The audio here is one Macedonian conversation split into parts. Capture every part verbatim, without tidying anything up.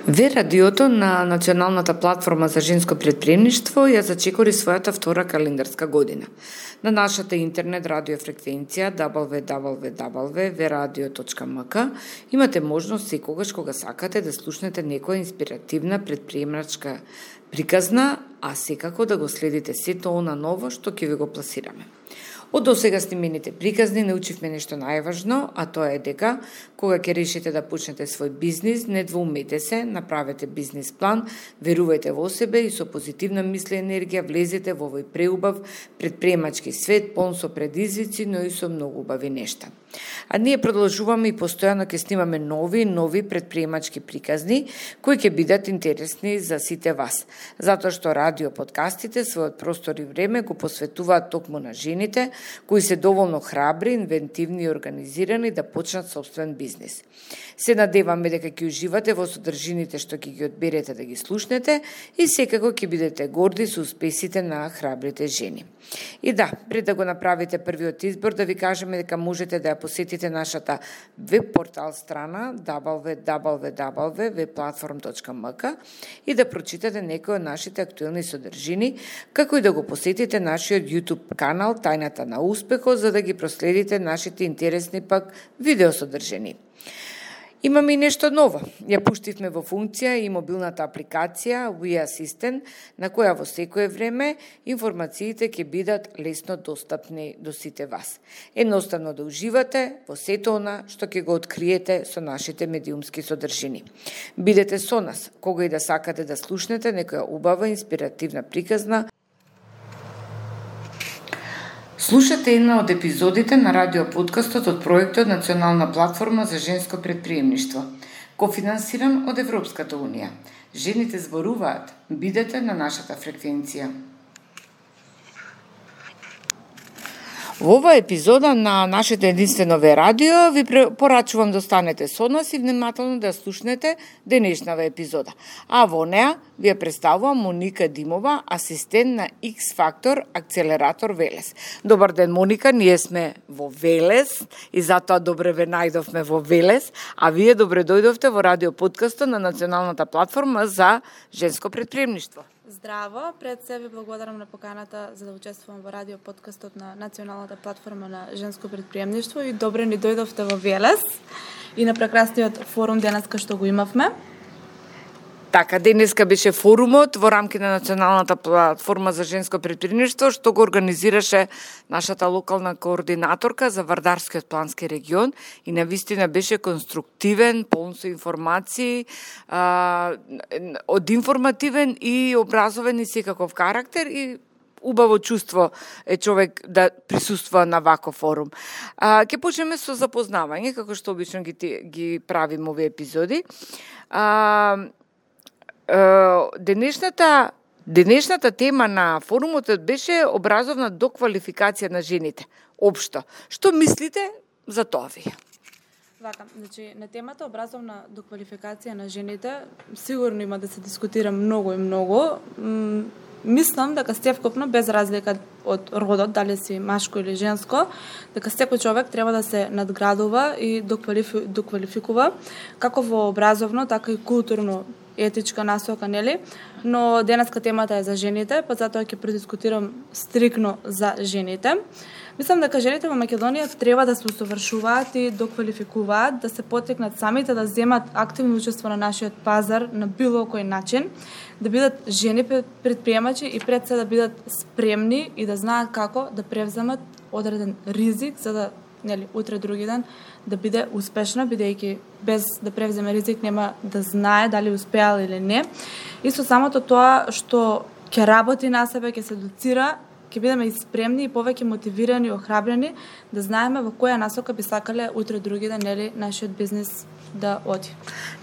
Ве радиото на Националната платформа за женско претприемништво ја зачекори својата втора календарска година. На нашата интернет радио фреквенција дабл ю дабл ю дабл ю точка ве радио точка ем ка имате можност секогаш кога сакате да слушнете некоја инспиративна претприемачка приказна, а секако да го следите сето она ново што ќе ви го пласираме. Од досега снимените приказни научивме нешто најважно, а тоа е дека кога ќе решите да почнете свој бизнис, не двоумете се, направете бизнис план, верувајте во себе и со позитивна мисла и енергија влезете во овој преубав претприемачки свет, полн со предизвици, но и со многу убави нешта. А ние продолжуваме и постојано ќе снимаме нови нови претприемачки приказни кои ќе бидат интересни за сите вас, затоа што радио подкастите својот простор и време го посветуваат токму на жените кои се доволно храбри, инвентивни и организирани да почнат собствен бизнис. Се надеваме дека ќе уживате во содржините што ќе ги одберете да ги слушнете и секако ќе бидете горди со успесите на храбрите жени. И да, пред да го направите првиот избор, да ви кажеме дека можете да ја посетите нашата веб портал страна дабл ю дабл ю дабл ю точка ве платформ точка ем ка и да прочитате некои од нашите актуелни содржини, како и да го посетите нашиот YouTube канал Тајната на успехот, за да ги проследите нашите интересни пак видеосодржини. Имаме и нешто ново. Ја пуштивме во функција и мобилната апликација We Assistant, на која во секое време информациите ќе бидат лесно достапни до сите вас. Едноставно да уживате во сето она што ќе го откриете со нашите медиумски содржини. Бидете со нас, кога и да сакате да слушнете некоја убава инспиративна приказна. Слушате една од епизодите на радиоподкастот од проектот Национална платформа за женско претприемништво, кофинансиран од Европската унија. Жените зборуваат, бидете на нашата фреквенција. Во оваа епизода на нашето единствено ве радио ви порачувам да останете со нас и внимателно да слушнете денешната епизода. А во неа ви ја представувам Моника Димова, асистент на X-Factor Акцелератор Велес. Добар ден, Моника, ние сме во Велес и затоа добре ве најдовме во Велес, а вие добре дојдовте во радиоподкастот на Националната платформа за женско претприемништво. Здраво, пред се ви благодарам на поканата за да учествувам во радиоподкастот на Националната платформа на женско претприемништво и добре ни дојдовте во Велес и на прекрасниот форум денеска што го имавме. Така, денеска беше форумот во рамки на Националната платформа за женско претприемништво што го организираше нашата локална координаторка за Вардарскиот плански регион и навистина беше конструктивен, полн со информации, а, од информативен и образовен и секаков карактер и убаво чувство е човек да присуствува на ваков форум. А, ќе почнеме со запознавање, како што обично ги, ги правим овие епизоди. А, Денешната, денешната тема на форумот беше образовна доквалификација на жените. Општо. Што мислите за тоа вие? Вака, значи, на темата образовна доквалификација на жените сигурно има да се дискутира многу и многу. М- мислам дека стевкупно, без разлика од родот, дали си машко или женско, дека секој човек треба да се надградува и доквалифи, доквалификува како во образовно, така и културно етичка насока, нели? Но денеска темата е за жените, па затоа ќе предискутирам стрикно за жените. Мислам дека жените во Македонија треба да се усовршуваат и доквалификуваат, да се потекнат самите да земат активно учество на нашиот пазар на било кој начин, да бидат жени претприемачи и пред се да бидат спремни и да знаат како да превземат одреден ризик за да, нели, утре други ден да биде успешна, бидејќи без да превземе ризик нема да знае дали успеал или не. И со самото тоа што ќе работи на себе, ќе се доцира, ќе бидеме и спремни и повеќе мотивирани и охрабрени да знаеме во која насока би сакале утре други ден, нели, нашиот бизнис да оди.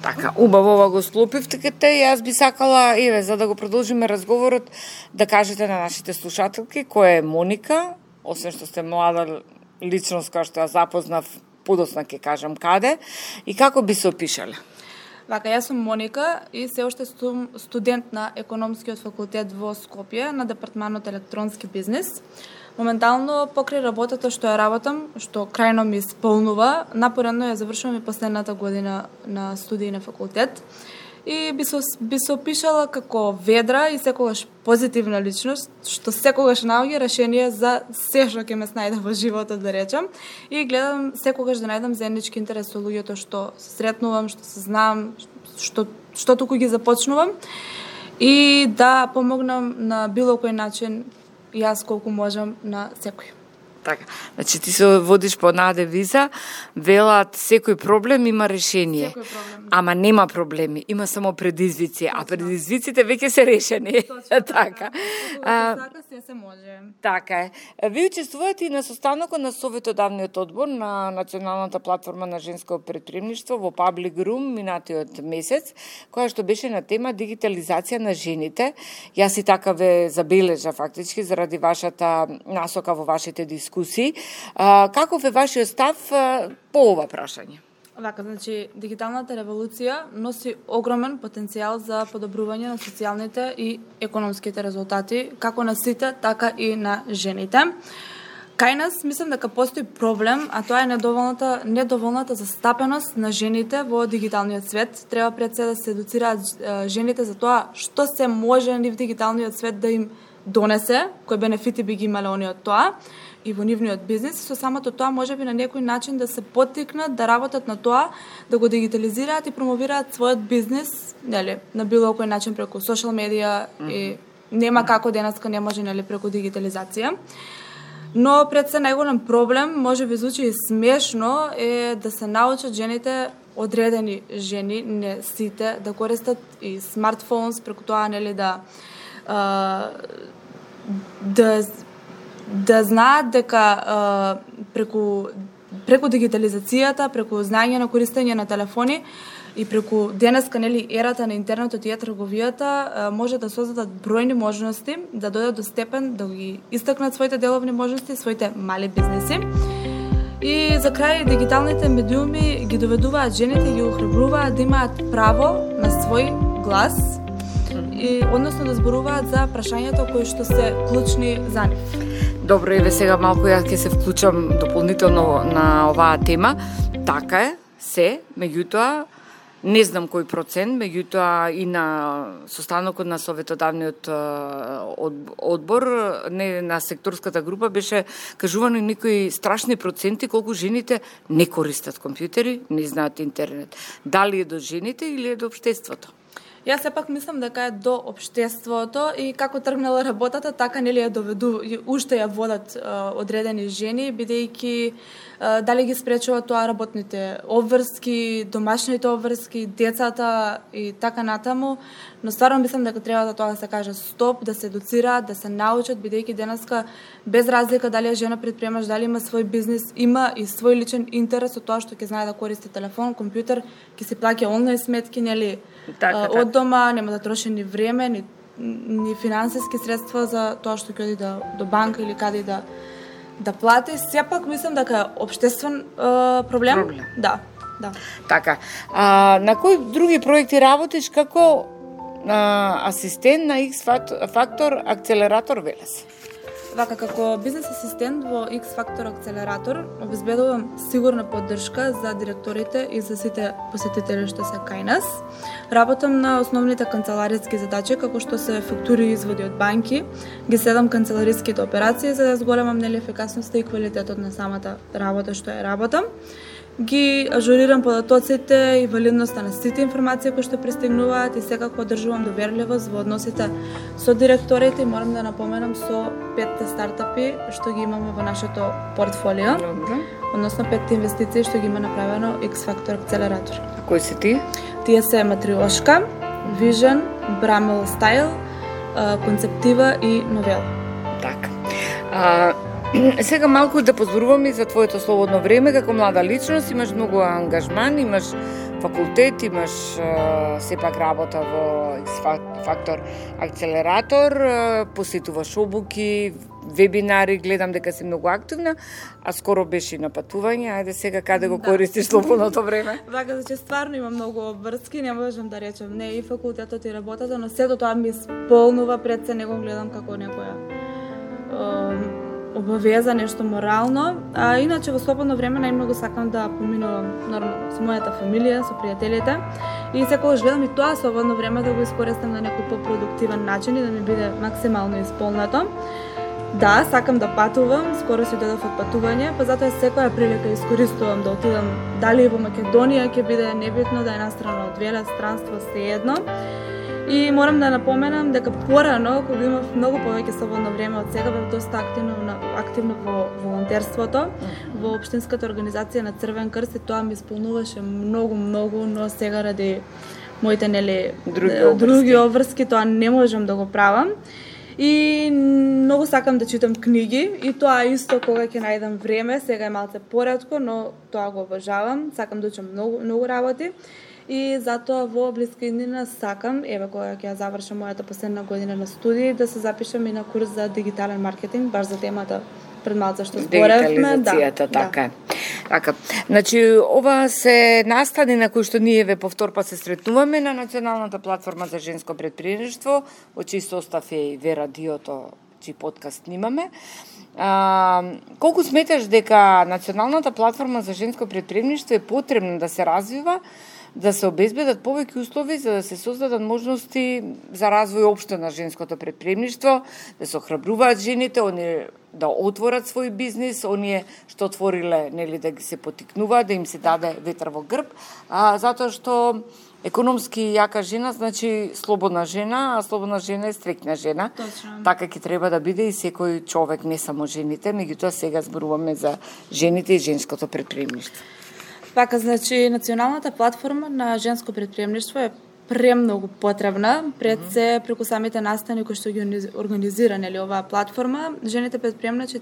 Така, убаво ова го склопивте и јас би сакала, еве, за да го продолжиме разговорот, да кажете на нашите слушателки која е Моника, освен што сте млада личност која што ја запознав, подосна ќе кажам каде, и како би се опишале? Вака, јас сум Моника и се уште сум студент на економскиот факултет во Скопје на департманот електронски бизнис. Моментално покрај работата што ја работам, што крајно ми исполнува, напоредно ја завршувам и последната година на студии на факултет. и би се, би се опишала како ведра и секогаш позитивна личност, што секогаш наоѓа решение за се што ќе ме снајде во животот, да речам, и гледам секогаш да најдам заеднички интерес со луѓето што се сретнувам, што се знам, што, што туку ги започнувам, и да помогнам на било кој начин, јас колку можам, на секој. Така, значи ти се водиш по однаа девиза, велат секој проблем има решение. Секој проблем. Ама нема проблеми, има само предизвици, а предизвиците веќе се решени. Точно, така. А, така се се може. Така е. Ви учествувате и на состанокот на Советодавниот одбор на Националната платформа на женско предприемништво во Public Room минатиот месец, која што беше на тема дигитализација на жените. Јас и така ве забележа фактички заради вашата насока во вашите дискусии. А, каков е вашиот став а, по ова прашање? Вака, значи, дигиталната револуција носи огромен потенцијал за подобрување на социјалните и економските резултати, како на сите, така и на жените. Кај нас, мислам дека постои проблем, а тоа е недоволната, недоволната застапеност на жените во дигиталниот свет. Треба пред се да се едуцираат жените за тоа што се може нив дигиталниот свет да им донесе, кои бенефити би ги имале они од тоа, и во нивниот бизнис, со самото тоа може би на некој начин да се поттикнат да работат на тоа, да го дигитализираат и промовираат својот бизнис, нели, на било кој начин преку социјал медија, mm-hmm. и нема како денеска не може, нели, преку дигитализација. Но пред се најголем проблем, може би звучи и смешно, е да се научат жените, одредени жени, не сите, да користат и смартфонс, преку тоа, нели, да а, да да знаат дека а, преку преку дигитализацијата, преку знаење на користење на телефони и преку денеска, нели, ерата на интернетот и е-трговијата, а, може да создадат бројни можности, да дојдат до степен да ги истакнат своите деловни можности, своите мали бизнеси. И за крај, дигиталните медиуми ги доведуваат жените, ги охрабруваат да имаат право на свој глас, и односно да зборуваат за прашањата кои што се клучни за нив. Добро, еве сега малку ја ќе се вклучам дополнително на оваа тема. Така е, се, меѓутоа, не знам кој процент, меѓутоа и на состанокот на Советодавниот одбор, не на секторската група, беше кажувано некои страшни проценти колку жените не користат компјутери, не знаат интернет. Дали е до жените или е до општеството? Јас сепак мислам дека е до општеството и како тргнала работата, така нели ја доведу, уште ја водат а, одредени жени, бидејќи а, дали ги спречува тоа работните обврски, домашните обврски, децата и така натаму, но стварно мислам дека треба да тоа да се каже стоп, да се едуцираат, да се научат, бидејќи денеска без разлика дали е жена предприемач, дали има свој бизнис, има и свој личен интерес од тоа што ќе знае да користи телефон, компјутер, ќе се плаќа онлайн сметки, нели, така, од така. Дома, нема да троши ни време, ни, ни финансиски средства за тоа што ќе оди да, до банка или каде да да плати. Сепак мислам дека е општествен е, проблем. Проблем. Да, да. Така. А, на кои други проекти работиш како а, асистент на X Factor Акцелератор Велес? Вака, како бизнес асистент во X Factor Акцелератор обезбедувам сигурна поддршка за директорите и за сите посетители што се кај нас. Работам на основните канцелариски задачи, како што се фактури и изводи од банки, ги следам канцелариските операции за да зголемам нели ефикасноста и квалитетот на самата работа што ја работам. Ги ажурирам податоците и валидноста на сите информации кои што пристигнуваат и секако одржувам доверливост во односите со директорите и морам да напоменам со петте стартапи што ги имаме во нашето портфолио. Добре. Односно петте инвестиции што ги има направено X Factor Акцелератор. А кои се тие? Тие се Матриошка, Vision, Bramel Style, Концептива и Новела. Така. А, сега малку да позборуваме за твоето слободно време како млада личност, имаш многу ангажман, имаш факултет, имаш а, сепак работа во X Factor Акцелератор, а, посетуваш обуки, вебинари, гледам дека си многу активна, а скоро беше и на патување. Ајде сега каде го да. Користиш слободното време? Вака, значи стварно имам многу обврски, не можам да речем не и факултетот и работата, но сето тоа ми исполнува, пред се не го гледам како некоја обавеза, нешто морално. А иначе во слободно време најмногу сакам да поминувам нормално со мојата фамилија, со пријателите И секогаш гледам и тоа слободно време да го искористам на некој попродуктивен начин и да ми биде максимално исполнето. Да, сакам да патувам, скоро си додов од патување, па затоа секоја прилика искористувам да отидам дали во Македонија, ќе биде небитно, да е настрана од веле, странство, сеедно. И морам да напоменам дека порано, кога имав многу повеќе слободно време од сега, бев доста активно, активно во волонтерството, во општинската организација на Црвен крст, и тоа ми исполнуваше многу, многу, но сега ради моите нели други обврски, други обврски тоа не можам да го правам. И многу сакам да читам книги, и тоа исто кога ќе најдам време, сега е малце поретко, но тоа го обожавам, сакам да учам многу, многу работи. И затоа во блиска иднина сакам, еве кога ќе ја завршам мојата последна година на студии, да се запишам и на курс за дигитален маркетинг, баш за темата пред малце што зборевме. Дигитализацијата, да, така е. Така. Значи, ова се настани на кои што ние ве повтор пат се сретнуваме на Националната платформа за женско претприемништво, во чиј состав е и ве радиото, чиј подкаст снимаме. А, колку сметаш дека Националната платформа за женско претприемништво е потребна да се развива, да се обезбедат повеќе услови за да се создадат можности за развој општо на женското претприемништво, да се охрабруваат жените, оние да отворат свој бизнис, оние што отвориле, нели, да ги се потикнуваат, да им се даде ветар во грб, а, затоа што економски јака жена значи слободна жена, а слободна жена е стрекна жена. Точно. Така ќе треба да биде и секој човек, не само жените, меѓутоа сега зборуваме за жените и женското претприемништво. Така, значи, Националната платформа на женско претприемништво е премногу потребна, пред се преку самите настани кои што ги организира, нели, оваа платформа. Жените предприемачи,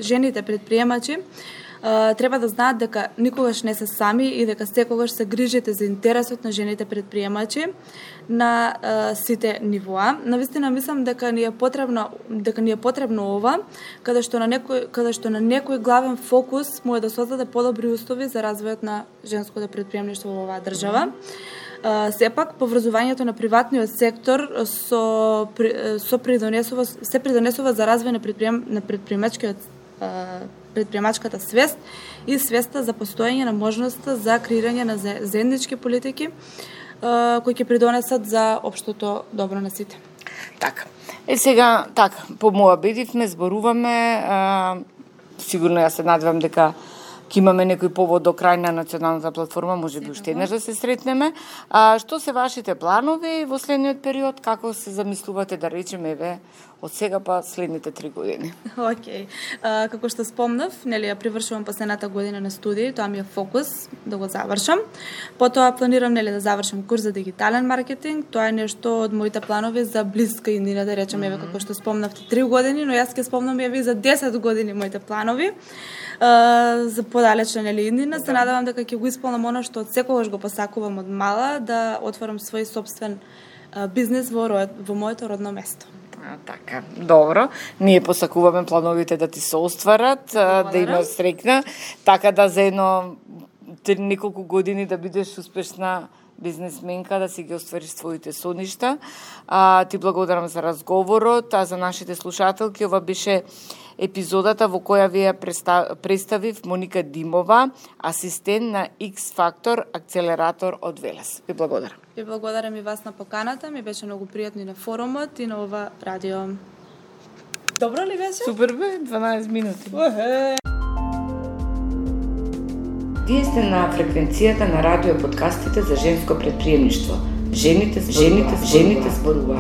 жените предприемачи Uh, треба да знаат дека никогаш не се сами и дека секогаш се грижите за интересот на жените предприемачи на uh, сите нивоа. Навистина мислам дека ни е потребно дека ни е потребно ова, каде што на некој каде што на некој главен фокус може да создаде подобри услови за развојот на женското предприемништво во оваа држава. Uh, сепак, поврзувањето на приватниот сектор со, со придонесува, се придонесува за развој на, предприем, на предприемачкиот uh, предприемачката свест и свеста за постоење на можноста за креирање на заеднички политики кои ќе придонесат за општото добро на сите. Така. Е сега, така, помоабедивме, зборуваме, а, сигурно јас се надевам дека ќе имаме некој повод до крај на Националната платформа, може би уште еднаш да се сретнеме. А, што се вашите планови во следниот период? Како се замислувате, да речеме, еве, од сега па следните три години? Океј. Okay. Како што спомнав, нели, ја привршувам последната година на студии, тоа ми е фокус да го завршам. Потоа планирам, нели, да завршам курс за дигитален маркетинг. Тоа е нешто од моите планови за блиска иднина, да речеме, еве, како што спомнавте, три години, но јас ќе спомнам еве за десет години моите планови. Uh, за подалечна, нели, иднина. Се надевам дека ќе го исполнам оно што од секогаш го посакувам од мала, да отворам свој собствен uh, бизнес во, во моето родно место. А, така, добро. Ние посакуваме плановите да ти се остварат, а, да имаш среќна, така да за едно неколку години да бидеш успешна бизнесменка, да си ги оствариш своите соништа. А, ти благодарам за разговорот, а за нашите слушателки ова беше епизодата во која ви ја представив Моника Димова, асистент на X Factor акцелератор од Велес. Ви благодарам. Ви благодарам и вас на поканата, ми беше многу пријатно и на форумот и на ова радио. Добро ли беше? Супер бе, дванаесет минути. Охе. Вие сте на фреквенцијата на радио подкастите за женско претприемништво. Жените, жените, жените зборуваат.